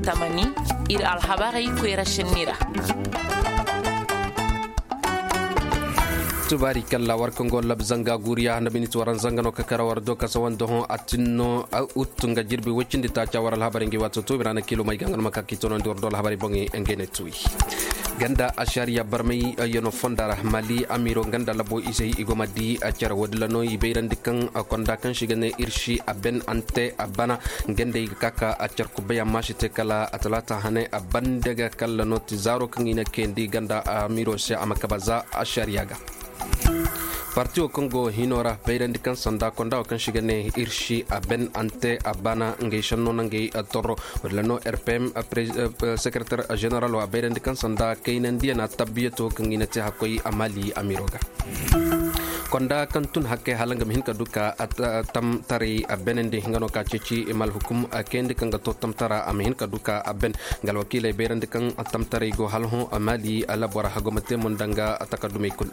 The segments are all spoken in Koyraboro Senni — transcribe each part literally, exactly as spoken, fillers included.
Tamani, ir alhabarey koyra sinni ra. Tubaari kalla war kaŋ go lab zanga guuriya nda miniti waran zanga no ka kara war do kasa wanda hõ a tinno. Ut nga jirbi woy cindi taaca war alhabarey ngi waato tuubi ra na kiilo may ga nga no ma ka k'i tonandi war do alhabarey boŋey ngey ne tuuyi. Ganda ashariya barmay yano fonda ra mali amiro ganda labo izey i go ma di a care woodin ra no i bayrandi kaŋ konda kaŋ si ga ne ir si a ben ante a bana. Ganda i ga ka ka a care kubay amma si te kala a talaata hane a bande ga kalla no ti zaaro kaŋ i na kayandi ganda amiro se a ma kaba za ashariya ga. Parti wo kaŋ go hino ra bayrandi kaŋ sanda konda wo kaŋ si ga ne ir si a ben ante a bana ngey sanno na ngey torro. Wala no rpm sekretar general wo a bayrandi kaŋ sanda kaynandiya na tabbiyato kaŋ i na te hakkoy a mali amiro ga. Konda kaŋ tun hakkey hala nga ma hin ka du ka tamtaray a benandi nga no ka ceeci i ma alhukum kayandi kaŋ ga to tamtara a ma hin ka du ka a ben. Nga alwakiiley bayrandi kaŋ tamtaray go hala hõ a mali labora hago ma te mo nda nga takardumey kul.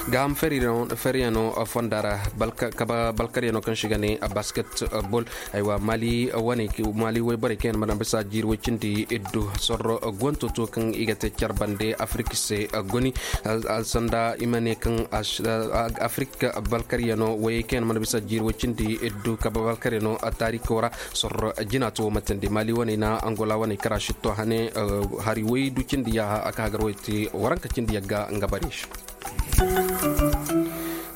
Gaaham feriyano fonda ra kaba balkaryano kaŋ si ga ne basket bol. Aywa mali wane mali wayborey kaŋ yaŋ mana bisa jiiri way cindi iddu sorro guwanto to kaŋ i ga te care bande afirka se goni. Sanda i ma ne kaŋ afirka balkaryano wayey kaŋ yaŋ mana bisa jiiri way cindi iddu kaba balkaryano taariko ra. Sorro jina to wo matandi mali wane na angola wane kara sitto hane hari way du cindi yaaha a ka hagar way te waranka cindi yagga nga bare se.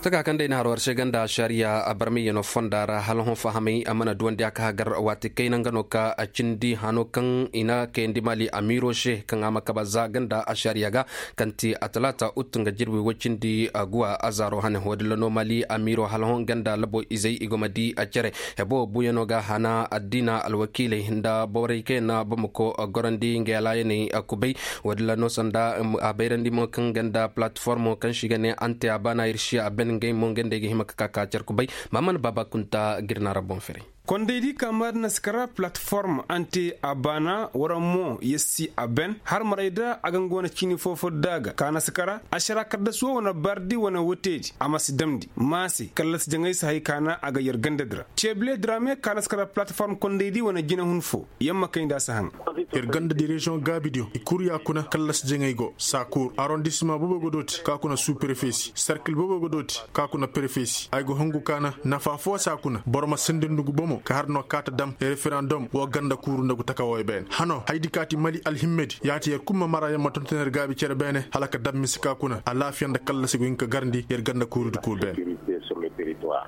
Taka kaŋ day na har war se ganda ashariya a barmay yano fonda ra hala hõ fahamay a mana duwandi a ka hagar waati kayna nga no ka a cindi hano kaŋ i na kayandi mali amiiro se kaŋ a ma kaba za ganda ashariya ga. Kaŋ ti a talaata ut nga jirbi way cindi a guwa a zaaro hane hoodilla no mali amiiro hala hõ ganda labo izey i go ma di a care. Hebo buyano ga hana addina alwakiiley nda borey kaŋ yaŋ na bamako gorandi nga yalaayaney kubay. Woodin ra no sanda a bayrandi mo kaŋ ganda platformo kaŋ si ga ne ante a baana ir si a ben ngey mo ngey nda ay ga hima ka ka ka care kubay. Maman baaba kunta ga ir na ra boŋ fere. Kondaydi ka maadina si kara platform ante a baana wara mo yer si a ben har maray da a ga nga wane ciini foo foo da a ga ka na si kara ašara kaddas wo wane bardi wane woteedi a ma si damndi maase kallasi jaŋay si hay ka na a ga yer gandadi ra. Ceebile diraame ka na si kara platform kondaydi wane jinahun foo yer ma kay nda a si haŋ. Yer gandadi reziyoŋ gaabidiyo i kul ya kuna kallasi jaŋay go saakuur arondisima boobo ga dooti ka kuna suu-prefe si serkil boobo ga dooti ka kuna prefe si ay ga hungu ka na nafa foo si a kuna boro ma sindi ndugu bomo ka har no kaata dam referandom woo ganda kuuru nda gu taka wooyo beene hano haydi kaati mali alhimmedi yaati yer kul ma mara yer ma tonton yer gaabi cere beene hala ka dam mise ka kuna alaafiya nda kallasi go hin ka garndi yer ganda kuurudi kul beene.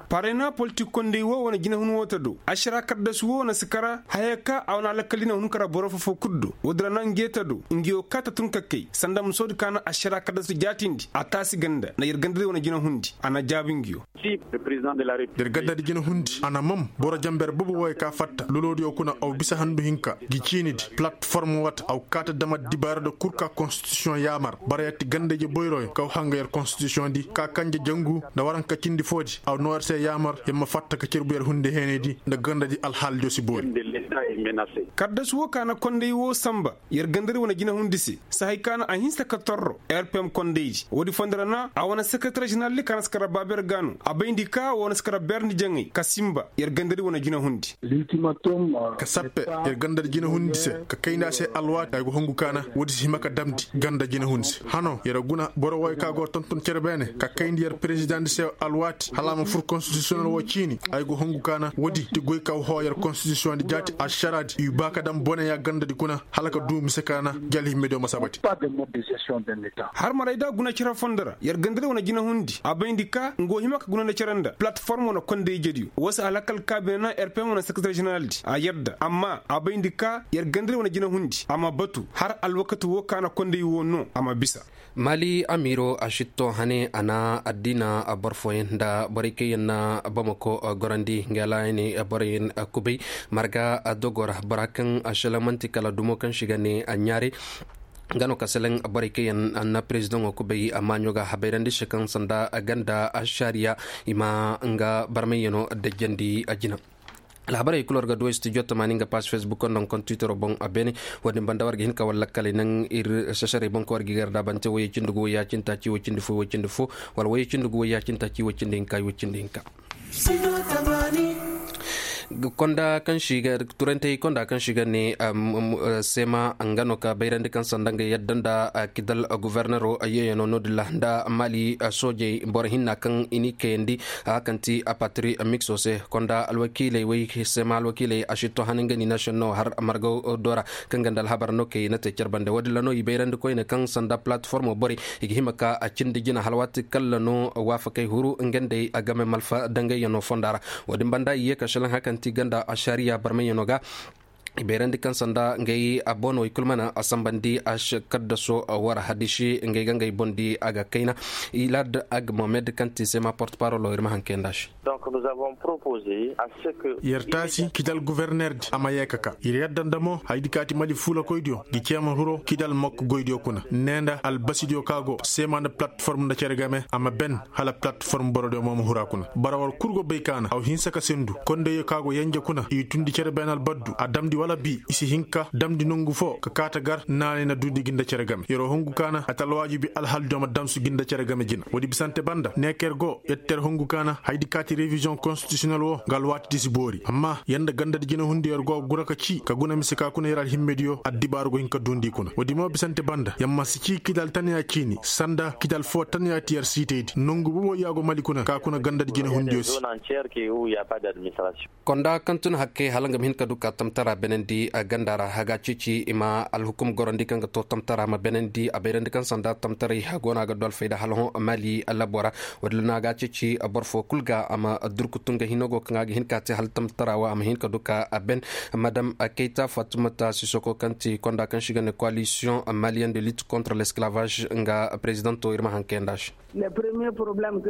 Parena politik konday woo wane jinahun woo ta do ašara kaddasu woo na si kara haya ka a wane alakal jinahun kara boro foo-foo kul do woodi ra na nge ta do nge woo ka ta tun ka kay sanda musoodi ka na ašara kaddasu jaatindi a taasi ganda na yer gandadi wane jinahundi a na jaabi nge woo. Yer gandadi jinahundi a na mom boro jamber boobo wooyo ka fatta loloodiyo kuna aw bisa handu hinka gi ciinidi platform wata aw kaata dama dibaarada kul ka konstitisiyoŋ yaamar bara yer ti gandayje boyroyo kaw hanga yer konstitisiyoŋdi ka kanje jangu nda waranka cindi foodi aw noo yer se yaamar yer ma fatta ka cerbu yer hunde heenaydi nda gandadi alhaalidiyo si boori. Kaddasu woo ka na konday woo sanba yer gandadi wane jinahundi se sahay ka na a hinsa ka torro rpm kondaydi woodi fondo ra na a wane sekeretar ženeraldi ka na si kara baaber ga no a bayndi ka woo na si kara berndi jaŋay ka sinba yer gandadi wane jinahundi. Ka sappe yer gandadi jinahundi se ka kayndi a se alwaati ay go hungu ka na woodi si hima ka damndi ganda jinahundi se hano yer guna boro wooyo ka go tonton cere beene ka kayndi yer perezidaŋdi se alwaati hala a ma fur konstitisiyonel woo ciini ay go hungu ka na woodi ti goy ka hoo yer konstitisiyoŋdi jaati ašaraadi i ba ka dam boneya gandadi kuna hala ka duu mise ka na gi alhimmediyo ma sabati. Har maray da guna cere fondo ra yer gandadi wane jinahundi a bayndi ka nga woo hima ka guna nda cere nda platform wane konday ijediyo woo se alakal ka bine na rpm wane sekeretar ženeraldi a yadda amma a bayndi ka yer gandadi wane jinahundi a ma batu har alwakati woo ka na konday woo noo a ma bisa. Mali amiiro a sitto hane a na addiina boro fooyaŋ nda borey kaŋ yaŋ na bamako gorandi nga laayani boroyaŋ kubay marga dogo ra bora kaŋ a selamanti kala dumo kaŋ si ga ne a ɲaare. Nga no ka selaŋ borey kaŋ yaŋ na perezidaŋo kubay a maaɲo ga habayrandi se kaŋ sanda ganda ašariya i ma nga barmayyano dajjandi a jina. Alhabarey kul war ga du studio tamaani nga paas facebook nda nga kontiitaro boŋ a beene. Wo-din banda war ga hin ka war lakkaley naŋ ir sasarey boŋ kaŋ war ga i gar daabante woyey cindi gu woyey cindi fo woyey cindi fo wala woyey cindi gu woyey cindi taaci woyey cindi hinka woyey cindi hinka. Konda kaŋ si ga turantey konda kaŋ si ga ne, seema nga no ka bayrandi kaŋ sanda nga yadda nda kidal guvernero yeeyano no-din ra nda mali soojey boro hinna kaŋ i n'i kayandi a kaŋ ti a patri mikso se konda alwakiiley wey seema alwakiiley a si to hani nga ni nation no har margaw do ra kaŋ ga nda alhabar no kay na te care bande wo-din ra no i bayrandi koyne kaŋ sanda platformo borey i ga hima ka a cindi jina hala waati kalla no waafakey huru nga nd'ey a game malfa dangayyano fonda ra. Wo-din banda i ye ka šelaŋ hari kaŋ ti ganda ašariya barmayyano ga i bayrandi kaŋ sanda ngey a bono i kulu mana a sambandi a kaddaso wara hadisi ngey ga ngey boŋ di a ga kayna. Ilad ag mohamed kaŋ ti sema porte parolo ir ma hankey nda se. Yer taasi kidal guverner di a ma ye ka ka ir yadda nda mo haydi kaati mali fuulakoydiyo gi ceema huro kidal mokko goydiyo kuna ne nda albasidiyo ka go seema nda platform nda cere game a ma ben hala platform borodiyo mo ma hura kuna bara war kul go bay kaana aw hinsa ka sendu kondey yo ka go yenje kuna i tundi cere beenal baddu a damndi wala bi i si hin ka damndi nongu fo ka kaata gar naanay na duundi gi nda cere game yer'o hongu kaana a ta alwaajibi alhaldiyo ma damsu gi nda cere game jina woodi bisante banda neeker go yer ter hongu kaana haydi kaati reviziyoŋ konstitisiyonel wo nga alwaati di si boori amma yer nda gandadi jinahundiyo yer go ga guna ka cii ka guna mise ka kuna yer alhimmediyo addibaaru go hin ka duundi kuna woodi mo bisante banda yer ma si cii kidal tanya ciini sanda kidal foo tanya ti yer siitaydi nongu bobo yaago mali kuna ka kuna gandadi jinahundiyo se. Konda kaŋ tun hakkey hala nga ma hin ka du ka tamtara benandi ganda ra haga cici i ma alhukum gorondi kaŋ ga to tamtara ma benandi a bayrandi kaŋ sanda tamtaray hago no a ga du alfayda hala hõ mali labo ra. Wadalla no a ga cici boro fo kul ga a ma durkutu nga hino go kaŋ a ga hin ka te hala tamtara wo a ma hin ka du ka a ben madam kayta fatumata sisoko kaŋ ti konda kaŋ si ga ne koalisiyoŋ maliyen de lit kontra l'esclavage nga prezidanto ir ma hankey nda se.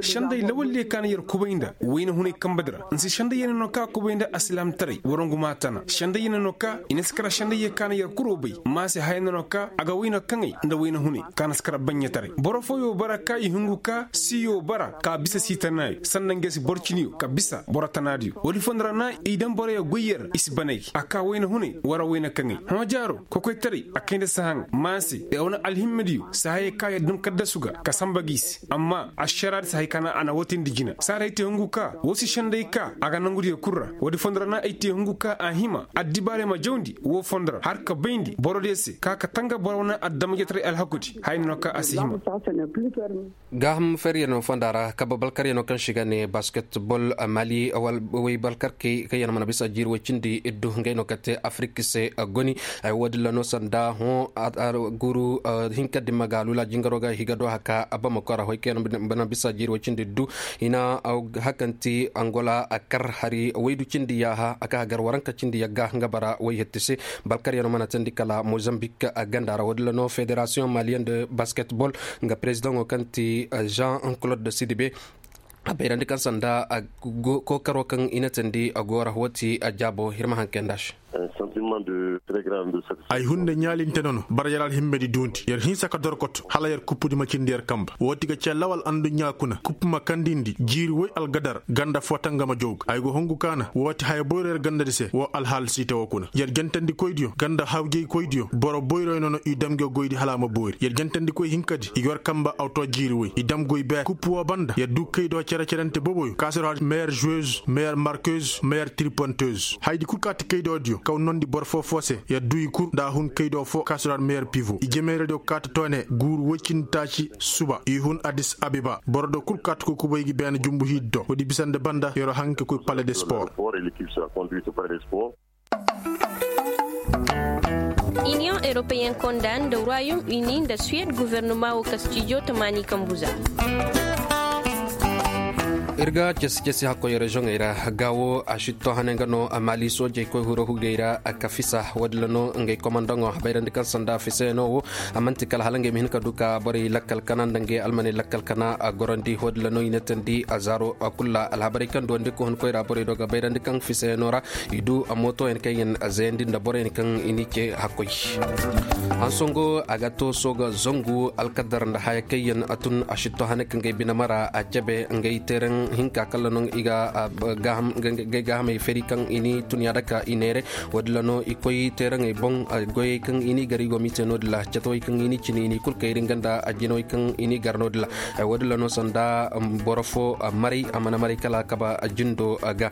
Senday lawalliyo ka na yer kubay nda wayna hunay kamba di ra nsi senday yer na no ka kubay nda asilaamtaray warangu ma tana senday yer na no ka i na si kara sendayyo ka na yer kuro bay ma se haya na no ka a ga wayna kaŋay nda wayna hunay ka na si kara baɲɲataray boro fooyo bara ka i hungu ka siiyo bara ka bisa sii tanaayo sanda nga si boro ciniyo ka bisa boro tanaadiyo woodi fondo ra na i daŋ boroyo goy yer i si banay a ka wayna hunay wara wayna kaŋay hõ jaaro kokoytaray a kay nda sahaŋ ma se a wane alhimmediyo si hayey ka yer dam kaddasu ga ka samba ga i se amma ašaraadi si hay ka na a na woo teendi jina saaray te hungu ka woo si senday ka a ga nongudiyo kul ra woodi fondo ra na ay te hungu ka a hima addibaarey ma jawndi woo fondo ra har ka bayndi borodiyo se ka ka tanga boro wane adamajetaray alhakudi haya no ka a si hima. Gaaham feryanoo fonda ra kabe balkaryanoo kaŋ se i ga ne basketbol mali, way balkarkey kaŋ yaŋ mana bisa jiiri way cindi iddu ngey no ka te afirik se goni. Ay woodin ra no sanda hõ guuru hinka dimma ga alula jingaro ga higa do haka abamako ra hoy kaŋ yaŋ mana bisa jiiri way cindi iddu. I na hakanti angola a kar hari waydu cindi yaaha a ka hagar waranka cindi yagga nga bara way hetti se. Balkaryanoo mana teendi kala mozambik ganda ra woodin ra no federasiyoŋ maliyen de basketbol nga perezidaŋo kaŋ ti jean claude sidibe. A bayrandi kaŋ sanda kookaro kaŋ i na teendi a goora woo ti a jaabo ir ma haŋ kay nda se. Ay hunde ɲaalinte nono bara yer alhimmedi duundi yer hinsa ka dorkoto hala yer kuppudi ma cindi yer kamba woo ti ga cee lawal anduɲɲaa kuna kuppu ma kandindi jiiri woy algadar ganda foo tangama jawga ay go hungu kaana woo ti haya boyro yer gandadi se woo alhaal siite woo kuna yer jentandikoydiyo ganda hawjaykoydiyo boro boyroy nono i dam nge goydi hala a ma boori yer jentandikoy hinkadi i ga yer kamba awto jiiri woy i dam goy beer kuppu woo banda yer duu kaydo cere-cerente boboyo kaasiro har meilleur joueuse meilleur marqueuse meilleur triponteuse haydi kul kaati kaydoodiyo kaw nondi boro foo foo se yer duu i kul nda a hun kaydo foo kaasiro har meilleur pivo i jemeeradiyo kaati toone guuru woy cindi taaci suba i hun adis abiba borodiyo kul kaati koy kubay gi beene jumbu hiidi do woodi bisande banda yeroo haŋ ka koy pale de sport. Iniyoŋ europeyen konda nda royaume uni nda suwed gofornoma woo kastijo tamaani kambuza. Ir ga casi casi hakkoy reziyoŋey ra gaawo a si to hane nga no a maali soojey koy huro hugey ra a ka fisa woodin ra no ngey komandaŋo a bayrandi kaŋ sanda fisayanoo wo. A man'ti kala hala ngey ma hin ka du ka borey lakkal kana nda ngey almaney lakkal kana a gorandi woodin ra no i na teendi a zaaro kul ra alhabarey kaŋ duwandi ka hun koyra borey do ga bayrandi kaŋ fisayanoo ra i du a mootoyaŋ kaŋ yaŋ a zayandi nda boroyaŋ kaŋ i n'i ce hakkoy. Hansongo a ga to sooga zangu alkadar nda haya kaŋ yaŋ a tun a si to hane ka ngey bine mara a cebe ngey teeraŋ. Hinka kalla no i ga gay gaahamey fari kaŋ i ni tun yaada ka i neere. Woodin ra no i koy teeraŋey boŋ. Goyey kaŋ i ni gar i go m'i te no-din ra catawey kaŋ i ni cine i ni kul kayri nga nda jinawey kaŋ i ni gar no-din ra. Woodin ra no sanda boro fo maray a mana maray kala a kaba jindo ga.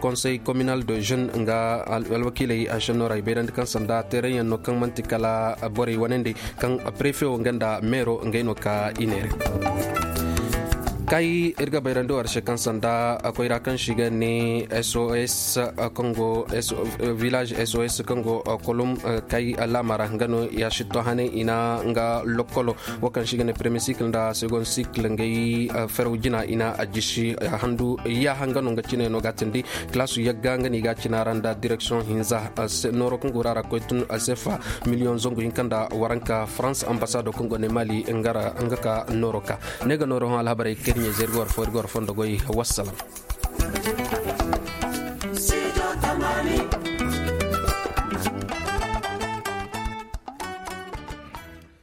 Konsey kominal de jeune nga alwakiiley a šenno ra i bayrandi kaŋ sanda teeraŋ yaŋ no kaŋ man'ti kala borey wane nd'ey kaŋ prefe wo nga nda meero ngey no ka i neere. Kay ir ga bayrandi war se kaŋ sanda koyra kaŋ si ga ne sos kaŋ go village sos kaŋ go kolum kay laama ra nga no ya sitto hane i na nga lokkolo wo kaŋ si ga ne premier cycle nda second cycle ngey feraw jina i na a jisi handu yaaha nga no nga cine no ga tindi. Kalaasu yagga nga no i ga a cina ra nda direksiyoŋ hinza nooro kaŋ go ra ra koy tun sefa miliyoŋ zangu hinka nda waranka farans ambasado kaŋ go ne mali nga ka nooro ka ne ga nooro hõ alhabarey kaŋ ir ɲey zey ir ga war fo ir ga war fondo goy. Wassalam.